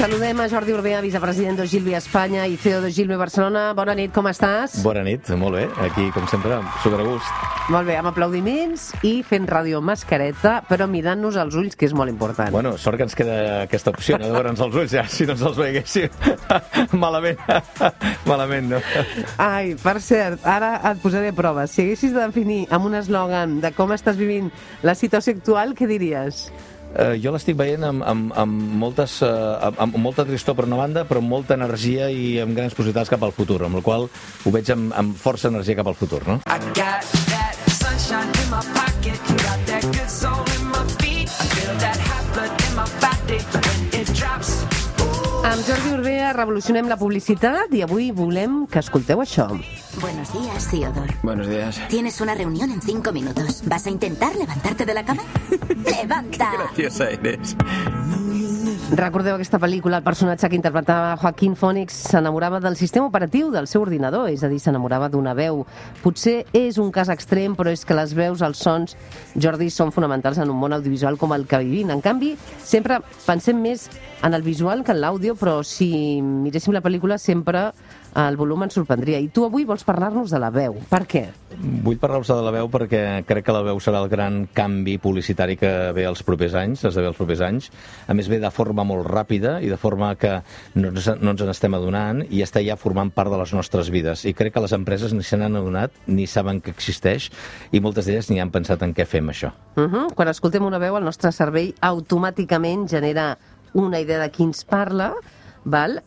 Saludem a Jordi Urbea, vicepresident d'Ogilvy Espanya i CEO d'Ogilvy Barcelona. Bona nit, com estàs? Bona nit, molt bé. Aquí, com sempre, supergust. Molt bé, amb aplaudiments i fent ràdio mascareta, però mirant-nos als ulls, que és molt important. Bueno, sort que ens queda aquesta opció, no de veure'ns els ulls, ja, si no ens els veiéssim. Malament, no? Ai, per cert, ara et posaré a prova. Si haguessis de definir amb un eslògan de com estàs vivint la situació actual, què diries? Jo l'estic veient amb molta tristor per una banda, però amb molta energia i amb grans possibilitats cap al futur, amb la qual ho veig amb força energia cap al futur, no? Amb Jordi Urbea revolucionem la publicitat i avui volem que escolteu això. Buenos días, Theodore. Buenos días. Tienes una reunión en 5 minutos. ¿Vas a intentar levantarte de la cama? ¡Levanta! Qué graciosa eres. Recordeu aquesta pel·lícula? El personatge que interpretava Joaquín Phoenix s'enamorava del sistema operatiu del seu ordinador, és a dir, s'enamorava d'una veu. Potser és un cas extrem, però és que les veus, els sons, Jordi, són fonamentals en un món audiovisual com el que vivim. En canvi, sempre pensem més en el visual que en l'àudio, però si miréssim la pel·lícula sempre el volum ens sorprendria. I tu avui vols parlar-nos de la veu. Per què? Vull parlar-vos de la veu perquè crec que la veu serà el gran canvi publicitari que ve els propers anys, esdevé els propers anys. A més, ve de forma molt ràpida i de forma que no ens n'estem adonant i està ja formant part de les nostres vides. I crec que les empreses ni se n'han adonat ni saben que existeix i moltes d'elles ni han pensat en què fem això. Quan escoltem una veu, el nostre cervell automàticament genera una idea de qui ens parla, val?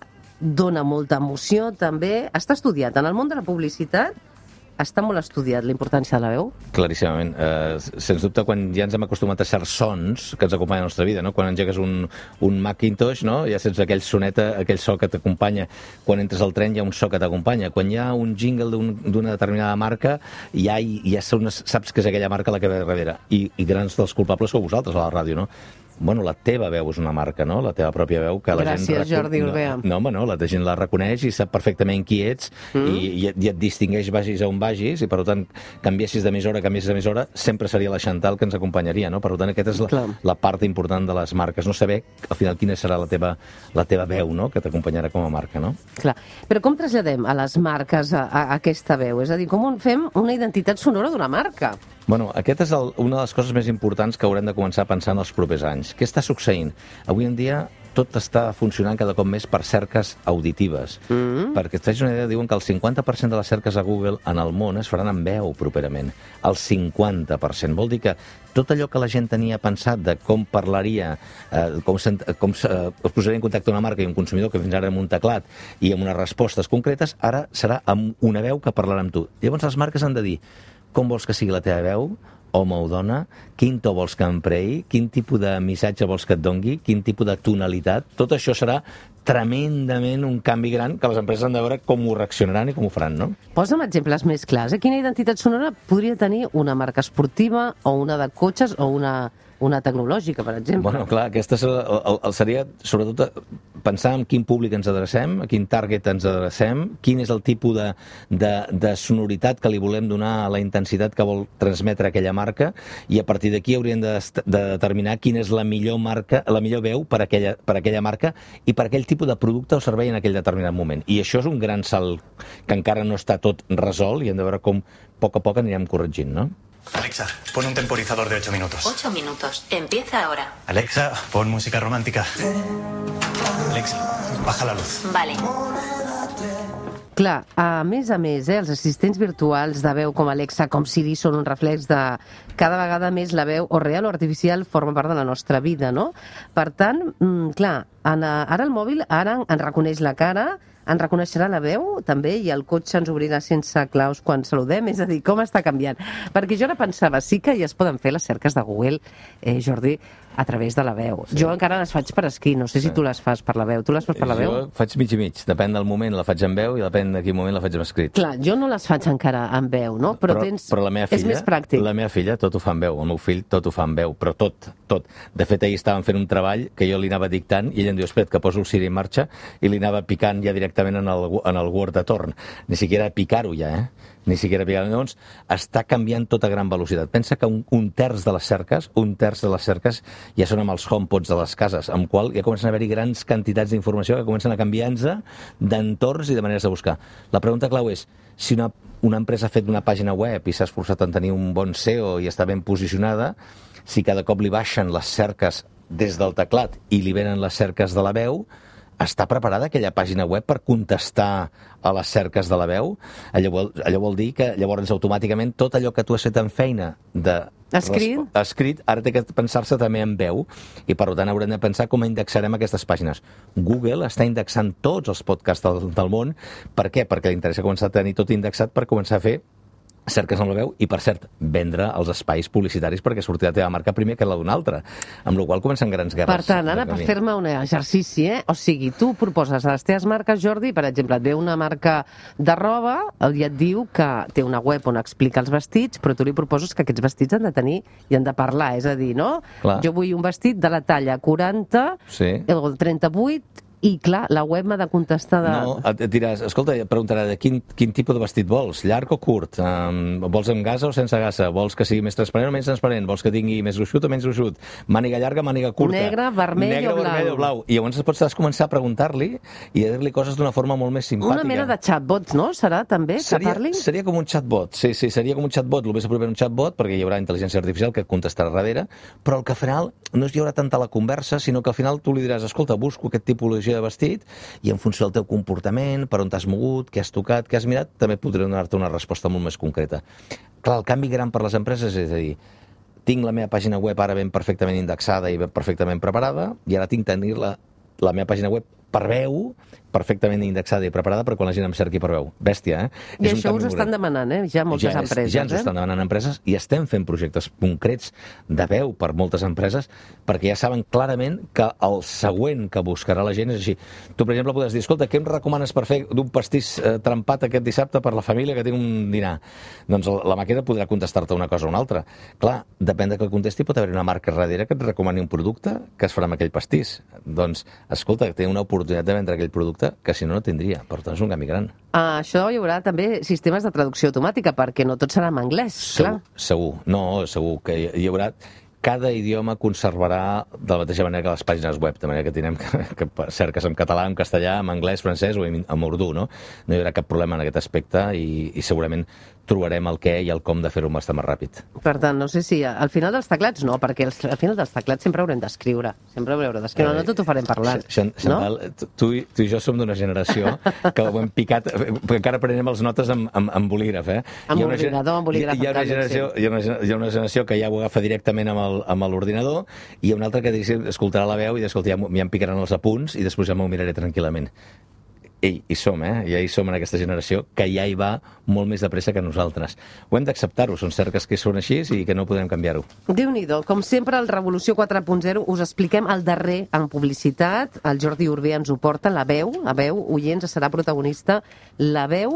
Dona molta emoció, també. Està estudiat. En el món de la publicitat està molt estudiat la importància de la veu? Claríssimament. Sens dubte, quan ja ens hem acostumat a certs sons que ens acompanyen a la nostra vida, no? Quan engegues un Macintosh, no? Ja sents aquell soneta, aquell so que t'acompanya. Quan entres al tren hi ha un so que t'acompanya. Quan hi ha un jingle d'una determinada marca, ja saps que és aquella marca la que ve darrere. I grans dels culpables sou vosaltres a la ràdio, no? Bueno, la teva veu és una marca, no? La teva pròpia veu que la gent... Gràcies, Jordi Urbea. No, la gent la reconeix i sap perfectament qui ets i et distingueix vagis a on vagis i, per tant, canviessis d'emissora, sempre seria la Chantal que ens acompanyaria, no? Per tant, aquesta és la part important de les marques, no saber al final quina serà la teva veu, no? Que t'acompanyarà com a marca, no? Clar. Però com traslladem a les marques a aquesta veu? És a dir, com fem una identitat sonora d'una marca? Bueno, aquesta és una de les coses més importants que haurem de començar a pensar en els propers anys. Què està succeint? Avui en dia tot està funcionant cada cop més per cerques auditives. Perquè et faig una idea, diuen que el 50% de les cerques a Google en el món es faran amb veu properament. El 50%. Vol dir que tot allò que la gent tenia pensat de com parlaria, com es posaria en contacte una marca i un consumidor que fins ara amb un teclat i amb unes respostes concretes, ara serà amb una veu que parlarà amb tu. Llavors les marques han de dir com vols que sigui la teva veu, home o dona, quin to vols que empreï, quin tipus de missatge vols que et dongui, quin tipus de tonalitat. Tot això serà tremendament un canvi gran que les empreses han de veure com ho reaccionaran i com ho faran, no? Posa'm exemples més clars. Quina identitat sonora podria tenir una marca esportiva o una de cotxes o una tecnològica, per exemple? Bueno, clar, aquesta seria, sobretot, pensar en quin públic ens adrecem, a quin target ens adrecem, quin és el tipus de sonoritat que li volem donar a la intensitat que vol transmetre aquella marca, i a partir d'aquí hauríem de determinar quina és la millor marca, la millor veu per aquella marca i per aquell tipus de producte o servei en aquell determinat moment. I això és un gran salt que encara no està tot resolt i hem de veure com a poc anirem corregint, no? Alexa, pon un temporizador de 8 minutos. 8 minutos. Empieza ahora. Alexa, pon música romántica. Alexa, baja la luz. Vale. Clar, a més, els assistents virtuals de veu com Alexa, com Siri, són un reflex de cada vegada més la veu o real o artificial forma part de la nostra vida, no? Per tant, clar, ara el mòbil ens reconeix la cara, ens reconeixerà la veu, també, i el cotxe ens obrirà sense claus quan saludem, és a dir, com està canviant. Perquè jo ara pensava, sí que ja es poden fer les cerques de Google, Jordi, a través de la veu. Sí. Jo encara les faig per escrit, no sé si tu les fas per la veu. Tu les fas per la veu? Jo faig mig i mig, depèn del moment la faig en veu i depèn de quin moment la faig en escrit. Clar, jo no les faig encara en veu, no? Però la meva filla, és més pràctic. La meva filla tot ho fa en veu, el meu fill tot ho fa en veu, però tot. De fet, ahir estàvem fent un treball que jo li anava dictant i ell em diu, espera't, que poso el Siri en marxa, i li anava picant ja directament directament en el Word de torn. Ni siquiera picar-ho ja, Ni siquiera picar-ho. Llavors, està canviant tot a gran velocitat. Pensa que un terç de les cerques ja són amb els HomePods de les cases, amb qual ja comencen a haver-hi grans quantitats d'informació que comencen a canviar-nos d'entorns i de maneres de buscar. La pregunta clau és, si una empresa ha fet una pàgina web i s'ha esforçat en tenir un bon SEO i està ben posicionada, si cada cop li baixen les cerques des del teclat i li venen les cerques de la veu, està preparada aquella pàgina web per contestar a les cerques de la veu? Allò vol dir que llavors automàticament tot allò que tu has fet en feina escrit, ara té que pensar-se també en veu, i per tant haurem de pensar com indexarem aquestes pàgines. Google està indexant tots els podcasts del món. Per què? Perquè li interessa començar a tenir tot indexat per començar a fer cerques amb la veu i, per cert, vendre els espais publicitaris perquè surti la teva marca primer que la d'una altra. Amb la qual cosa comencen grans guerres. Per tant, ara per fer-me un exercici, O sigui, tu proposes a les teves marques, Jordi, per exemple, et ve una marca de roba i et diu que té una web on explica els vestits, però tu li proposes que aquests vestits han de tenir i han de parlar, és a dir, no? Clar. Jo vull un vestit de la talla 40 o 38 i, clar, la web m'ha de contestar de... No, et diràs, escolta, et preguntarà de quin tipus de vestit vols, llarg o curt, vols amb gasa o sense gasa, vols que sigui més transparent o menys transparent, vols que tingui més gruixut o menys gruixut, màniga llarga, màniga curta, negre, vermell o blau. I llavors pots començar a preguntar-li i a dir-li coses d'una forma molt més simpàtica. Una mena de chatbot, no? Serà també que parlin? Seria com un chatbot, sí, seria com un chatbot, el més proper un chatbot, perquè hi haurà intel·ligència artificial que et contestarà darrere, però el que al final no hi haurà tanta la conversa, sinó que al final tu li diràs, escolta, busco aquest tipologia de vestit, i en funció del teu comportament, per on t'has mogut, què has tocat, què has mirat, també podré donar-te una resposta molt més concreta. Clar, el canvi gran per les empreses és a dir, tinc la meva pàgina web ara ben perfectament indexada i ben perfectament preparada, i ara tinc tenir la meva pàgina web per veu, perfectament indexada i preparada per quan la gent em cerqui per veu. Bèstia, I això us estan demanant, ja moltes empreses. Ja ens ho estan demanant empreses i estem fent projectes concrets de veu per moltes empreses perquè ja saben clarament que el següent que buscarà la gent és així. Tu, per exemple, podràs dir, escolta, què em recomanes per fer d'un pastís trempat aquest dissabte per la família que té un dinar? Doncs la màquina podrà contestar-te una cosa o una altra. Clar, depèn de que contesti, pot haver una marca darrere que et recomani un producte que es farà amb aquell pastís. Doncs, escolta, té una oportunitat de vendre aquell producte que si no tindria. Per tant, és un canvi gran. Això hi haurà també sistemes de traducció automàtica, perquè no tot serà en anglès, clar. Segur. No, segur que hi haurà... Cada idioma conservarà de la mateixa manera que les pàgines web, de manera que tindrem que cerques en català, en castellà, en anglès, francès o en urdú, no? No hi haurà cap problema en aquest aspecte i segurament trobarem el què i el com de fer-ho bastant més ràpid. Per tant, no sé si al final dels teclats no, perquè al final dels teclats sempre haurem d'escriure. No tot ho farem parlant. Chantal, tu i jo som d'una generació que ho hem picat, perquè encara prenem les notes amb bolígraf, Amb ordinador, amb bolígraf. Hi ha una generació que ja ho agafa directament amb l'ordinador i hi ha una altra que escoltarà la veu i escolta, ja em picaran els apunts i després ja m'ho miraré tranquil·lament. Hi som, ja hi som en aquesta generació que ja hi va molt més de pressa que nosaltres. Ho hem d'acceptar-ho, són cerques que són així i que no podem canviar-ho. Déu-n'hi-do, com sempre al Revolució 4.0 us expliquem el darrer en publicitat, el Jordi Urbé ens ho porta, la veu, oients, serà protagonista, la veu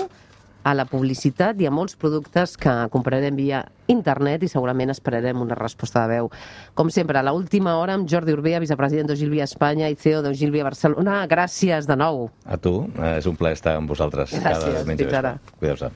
a la publicitat i a molts productes que comprarem via internet i segurament esperarem una resposta de veu. Com sempre, a l'última hora amb Jordi Urbé, vicepresident d'Ogilvy Espanya i CEO d'Ogilvy Barcelona. Gràcies de nou. A tu, és un plaer estar amb vosaltres. Gràcies, fins ara. Cuideu-se.